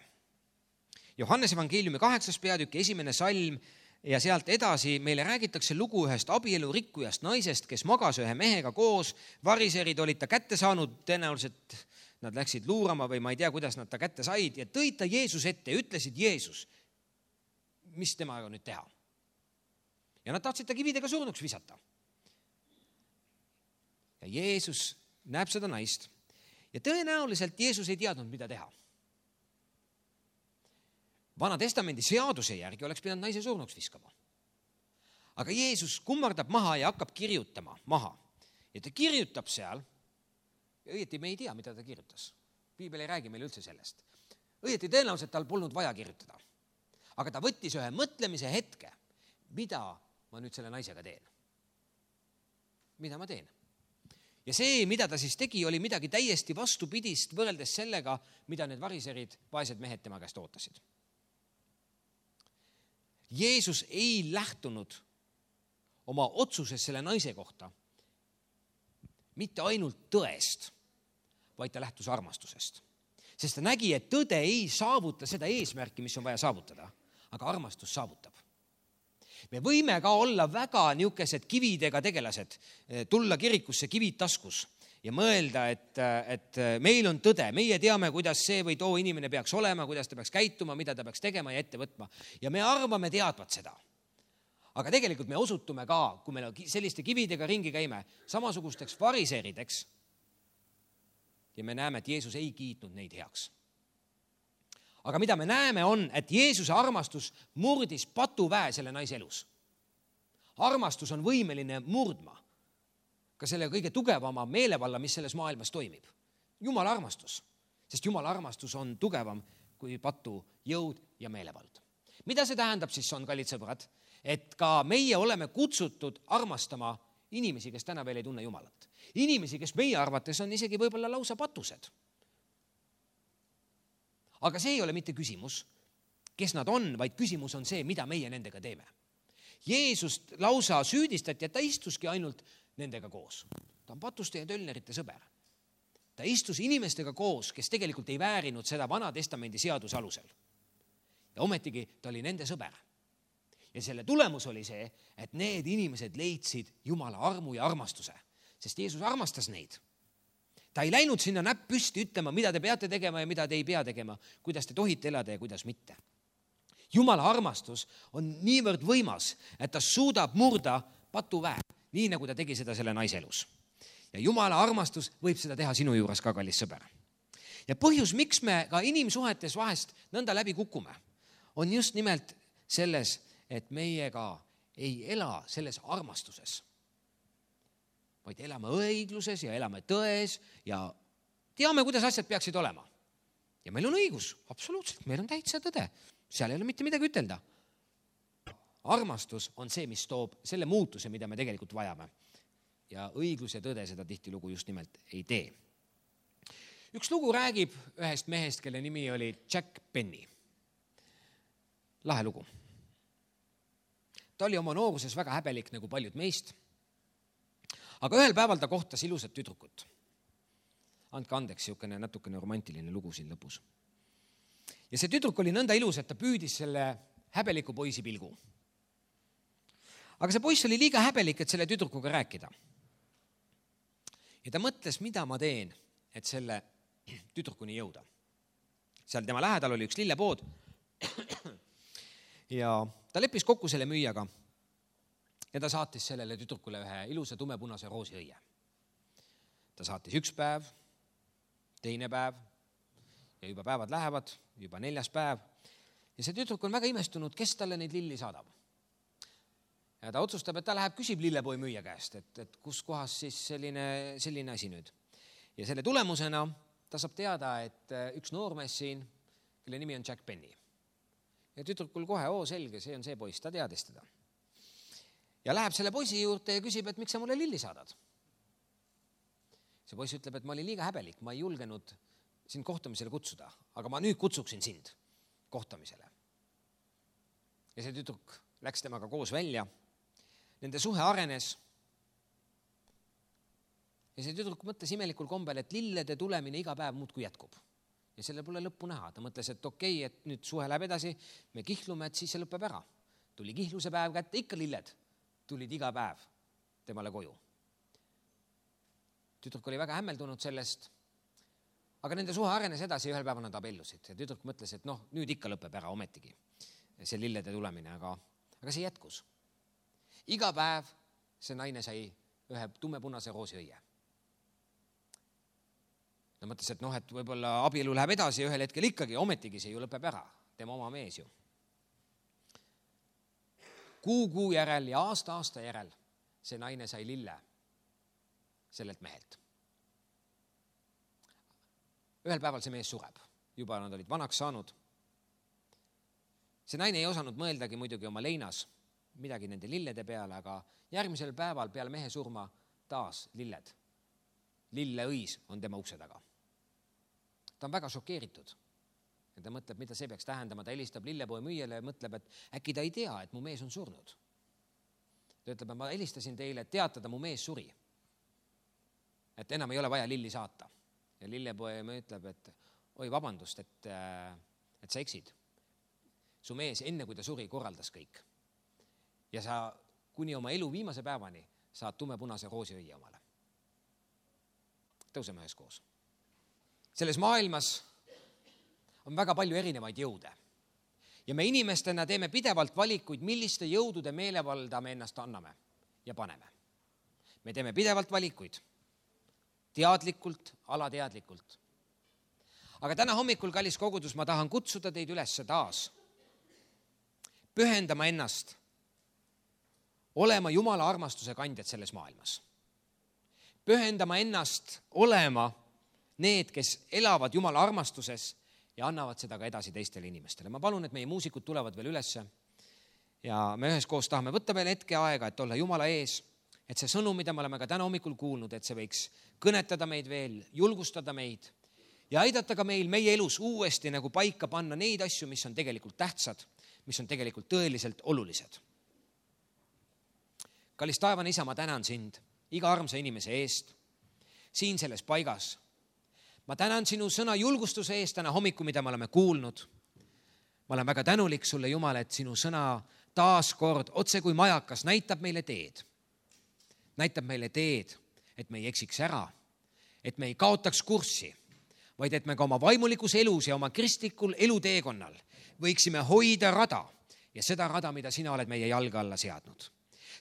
Johannes evangeeliumi 8. peatükk, 1. salm ja sealt edasi meile räägitakse lugu ühest abielu rikkujast naisest, kes magas ühe mehega koos, variserid olid ta kätte saanud tõenäoliselt nad läksid luurama või ma ei tea, kuidas nad ta kätte said ja tõid ta Jeesus ette ja ütlesid Jeesus, mis temaga nüüd teha. Ja nad tahtsid ta kividega surnuks visata. Ja Jeesus näeb seda naist ja tõenäoliselt Jeesus ei teadnud, mida teha. Vana testamendi seaduse järgi oleks pidanud naise surnuks viskama. Aga Jeesus kummardab maha ja hakkab kirjutama maha. Ja ta kirjutab seal, ja õieti me ei tea, mida ta kirjutas. Piibel ei räägi meile üldse sellest. Õieti tõenäoliselt tal polnud vaja kirjutada. Aga ta võttis ühe mõtlemise hetke, mida ma nüüd selle naisega teen. Mida ma teen? Ja see, mida ta siis tegi, oli midagi täiesti vastupidist võrreldes sellega, mida need variserid, vaesed mehed tema käest ootasid. Jeesus ei lähtunud oma otsuses selle naise kohta mitte ainult tõest, vaid ta lähtus armastusest. Sest ta nägi, et tõde ei saavuta seda eesmärki, mis on vaja saavutada, aga armastus saavutab. Me võime ka olla väga niisugused kividega tegelased, tulla kirikusse kivid taskus ja mõelda, et meil on tõde, meie teame, kuidas see või too inimene peaks olema, kuidas ta peaks käituma, mida ta peaks tegema ja ette võtma. Ja me arvame teadvat seda. Aga tegelikult me osutume ka, kui me selliste kividega ringi käime, samasugusteks variseerideks ja me näeme, et Jeesus ei kiitnud neid heaks. Aga mida me näeme on, et Jeesuse armastus murdis patuväe selle naise elus. Armastus on võimeline murdma ka selle kõige tugevama meelevalla, mis selles maailmas toimib. Jumala armastus, sest Jumala armastus on tugevam kui patu jõud ja meelevald. Mida see tähendab siis on, kallid sõbrad? Et ka meie oleme kutsutud armastama inimesi, kes täna veel ei tunne Jumalat. Inimesi, kes meie arvates on isegi võib-olla lausa patused. Aga see ei ole mitte küsimus, kes nad on, vaid küsimus on see, mida meie nendega teeme. Jeesust lausa süüdistati, et ta istuski ainult nendega koos. Ta on patuste ja tölnerite sõber. Ta istus inimestega koos, kes tegelikult ei väärinud seda Vana Testamendi seaduse alusel. Ja ometigi ta oli nende sõber. Ja selle tulemus oli see, et need inimesed leidsid Jumala armu ja armastuse, sest Jeesus armastas neid. Ta ei läinud sinna näpp püsti ütlema, mida te peate tegema ja mida te ei pea tegema, kuidas te tohite elada ja kuidas mitte. Jumala armastus on niivõrd võimas, et ta suudab murda patuväe, nii nagu ta tegi seda selle naise elus. Ja Jumala armastus võib seda teha sinu juures ka, kallis sõber. Ja põhjus, miks me ka inimsuhetes vahest nõnda läbi kukume, on just nimelt selles, et meiega ei ela selles armastuses, vaid elame õigluses ja elame tões ja teame, kuidas asjad peaksid olema. Ja meil on õigus, absoluutselt, meil on täitsa tõde. Seal ei ole mitte midagi ütelda. Armastus on see, mis toob selle muutuse, mida me tegelikult vajame. Ja õiglus ja tõde seda tihtilugu just nimelt ei tee. Üks lugu räägib ühest mehest, kelle nimi oli Jack Penny. Lahe lugu. Ta oli oma nooruses väga häbelik nagu paljud meist. Aga ühel päeval ta kohtas ilusat tüdrukut. Andke andeks, siukene natukene romantiline lugu siin lõpus. Ja see tüdruk oli nõnda ilus, et ta püüdis selle häbeliku poisi pilgu. Aga see poiss oli liiga häbelik, et selle tüdrukuga rääkida. Ja ta mõtles, mida ma teen, et selle tüdrukuni jõuda. Seal tema lähedal oli üks lillepood ja ta leppis kokku selle müüjaga ja ta saatis sellele tüdrukule ühe ilusa tumepunase roosiõie. Ta saatis üks päev, teine päev ja juba päevad lähevad, juba 4. päev ja see tüdruk on väga imestunud, kes talle neid lilli saadab. Ja ta otsustab, et ta läheb küsib lillepoi müüja käest, et kus kohas siis selline asi nüüd. Ja selle tulemusena ta saab teada, et üks noormees siin, kelle nimi on Jack Penny. Ja tüdrukul kohe, selge, see on see poiss, ta teadis teda. Ja läheb selle poisi juurde ja küsib, et miks sa mulle lilli saadad. See poiss ütleb, et ma olin liiga häbelik, ma ei julgenud sind kohtamisele kutsuda, aga ma nüüd kutsuksin sind kohtamisele. Ja see tüdruk läks temaga koos välja. Nende suhe arenes. Ja see tüdruk mõtles imelikul kombel, et lillede tulemine iga päev muudkui jätkub. Ja selle pole lõppu näha. Ta mõtles, et okei, et nüüd suhe läheb edasi, me kihlume, et siis see lõpeb ära. Tuli kihluse päev kätte, ikka lilled tulid iga päev temale koju. Tüdruk oli väga hämmeldunud sellest, aga nende suhe arenes edasi ja ühel päeval nad abiellusid. Ja tüdruk mõtles, et nüüd ikka lõpeb ära ometigi see lillede tulemine, aga see jätkus. Iga päev see naine sai ühe tummepunase roosiõie. Ta mõtles, et et võib-olla abielu läheb edasi ja ühel hetkel ikkagi, ometigi see ju lõpeb ära, tema oma mees ju. Kuu järel ja aasta järel see naine sai lille sellelt mehelt. Ühel päeval see mees sureb, juba nad olid vanaks saanud. See naine ei osanud mõeldagi muidugi oma leinas midagi nende lillede peale, aga järgmisel päeval peale mehe surma taas lilled. Lilleõis on tema ukse taga. Ta on väga šokeeritud. Ja ta mõtleb, mida see peaks tähendama. Ta helistab lillepoe müüjale ja mõtleb, et äkki ta ei tea, et mu mees on surnud. Ta ütleb, et ma helistasin teile, et teatada, mu mees suri. Et enam ei ole vaja lilli saata. Ja lillepoe ütleb, et oi, vabandust, et sa eksid. Su mees enne, kui ta suri, korraldas kõik. Ja sa kuni oma elu viimase päevani saad tummepunase roosiõie omale. Tõuseme ühes koos. Selles maailmas on väga palju erinevaid jõude. Ja me inimestena teeme pidevalt valikuid, milliste jõudude meelevalda me ennast anname ja paneme. Me teeme pidevalt valikuid. Teadlikult, alateadlikult. Aga täna hommikul, kallis kogudus, ma tahan kutsuda teid üles taas pühendama ennast olema Jumala armastuse kandjad selles maailmas. Pühendama ennast olema need, kes elavad Jumala armastuses ja annavad seda ka edasi teistele inimestele. Ma palun, et meie muusikud tulevad veel ülesse ja me üheskoos tahame võtta veel hetke aega, et olla Jumala ees, et see sõnum, mida me oleme ka täna hommikul kuulnud, et see võiks kõnetada meid veel, julgustada meid ja aidata ka meil meie elus uuesti nagu paika panna neid asju, mis on tegelikult tähtsad, mis on tegelikult tõeliselt olulised. Kallis taevane Isa, ma tänan sind iga armsa inimese eest siin selles paigas. Ma tänan sinu sõna julgustuse eest täna hommiku, mida me oleme kuulnud. Ma olen väga tänulik sulle, Jumal, et sinu sõna taas kord otse kui majakas näitab meile teed. Näitab meile teed, et me ei eksiks ära, et me ei kaotaks kurssi, vaid et me ka oma vaimulikus elus ja oma kristlikul eluteekonnal võiksime hoida rada ja seda rada, mida sina oled meie jalga alla seadnud.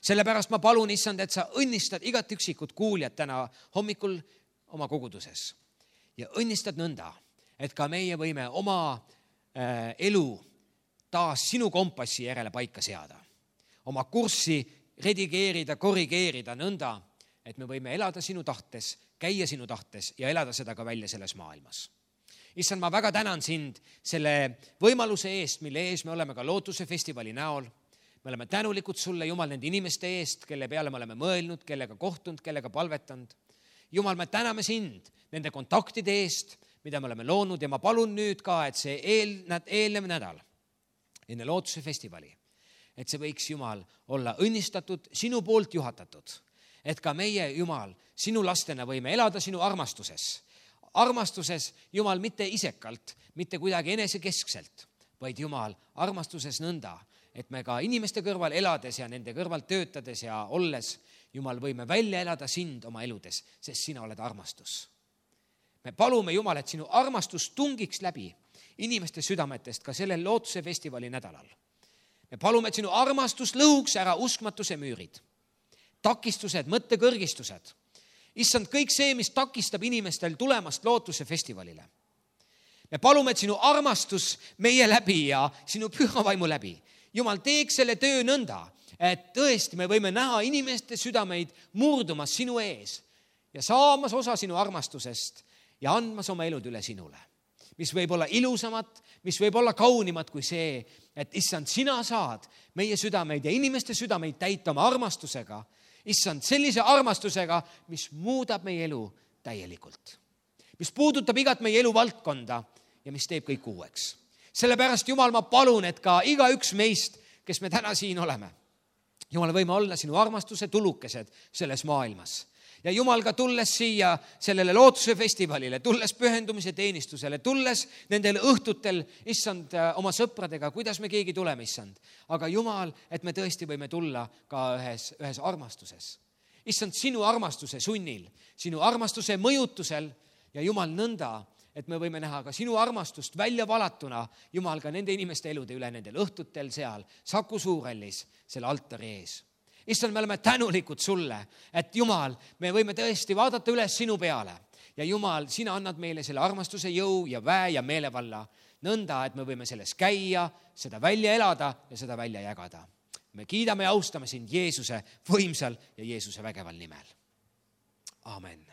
Sellepärast ma palun, Issand, et sa õnnistad igat üksikut kuuljat täna hommikul oma koguduses ja õnnistad nõnda, et ka meie võime oma elu taas sinu kompassi järele paika seada. Oma kurssi redigeerida, korrigeerida nõnda, et me võime elada sinu tahtes, käia sinu tahtes ja elada seda ka välja selles maailmas. Issand, ma väga tänan sind selle võimaluse eest, mille ees me oleme ka Lootuse festivali näol. Me oleme tänulikud sulle, Jumal, nende inimeste eest, kelle peale me oleme mõelnud, kellega kohtunud, kellega palvetanud. Jumal, me täname sind nende kontaktide eest, mida me oleme loonud ja ma palun nüüd ka, et see eelnev nädal enne Lootuse festivali, et see võiks, Jumal, olla õnnistatud, sinu poolt juhatatud, et ka meie, Jumal, sinu lastena võime elada sinu armastuses. Armastuses, Jumal, mitte isekalt, mitte kuidagi enesekeskselt, vaid Jumal, armastuses nõnda, et me ka inimeste kõrval elades ja nende kõrval töötades ja olles, Jumal, võime välja elada sind oma eludes, sest sina oled armastus. Me palume, Jumal, et sinu armastus tungiks läbi inimeste südametest ka sellel Lootuse festivali nädalal. Me palume, et sinu armastus lõhuks ära uskmatuse müürid, takistused, mõttekõrgistused. Issand, kõik see, mis takistab inimestel tulemast Lootuse festivalile. Me palume, et sinu armastus meie läbi ja sinu püha vaimu läbi, Jumal, teeks selle töö nõnda, et tõesti me võime näha inimeste südameid murdumas sinu ees ja saamas osa sinu armastusest ja andmas oma elud üle sinule. Mis võib olla ilusamat, mis võib olla kaunimat kui see, et Issand, sina saad meie südameid ja inimeste südameid täita oma armastusega. Issand, sellise armastusega, mis muudab meie elu täielikult. Mis puudutab igat meie elu valdkonda ja mis teeb kõik uueks. Sellepärast, Jumal, ma palun, et ka iga üks meist, kes me täna siin oleme, Jumal, võime olla sinu armastuse tulukesed selles maailmas. Ja Jumal, ka tulles siia sellele Lootuse festivalile, tulles pühendumise teenistusele, tulles nendel õhtutel, Issand, oma sõpradega, kuidas me keegi tuleme, Issand. Aga Jumal, et me tõesti võime tulla ka ühes armastuses. Issand, sinu armastuse sunnil, sinu armastuse mõjutusel ja Jumal nõnda, et me võime näha ka sinu armastust välja valatuna, Jumal, ka nende inimeste elude üle nendel õhtutel seal Saku Suurhallis selle altari ees. Issand, me oleme tänulikud sulle, et Jumal, me võime tõesti vaadata üles sinu peale ja Jumal, sina annad meile selle armastuse jõu ja väe ja meelevalla nõnda, et me võime selles käia, seda välja elada ja seda välja jagada. Me kiidame ja austame sind Jeesuse võimsal ja Jeesuse vägeval nimel. Aamen.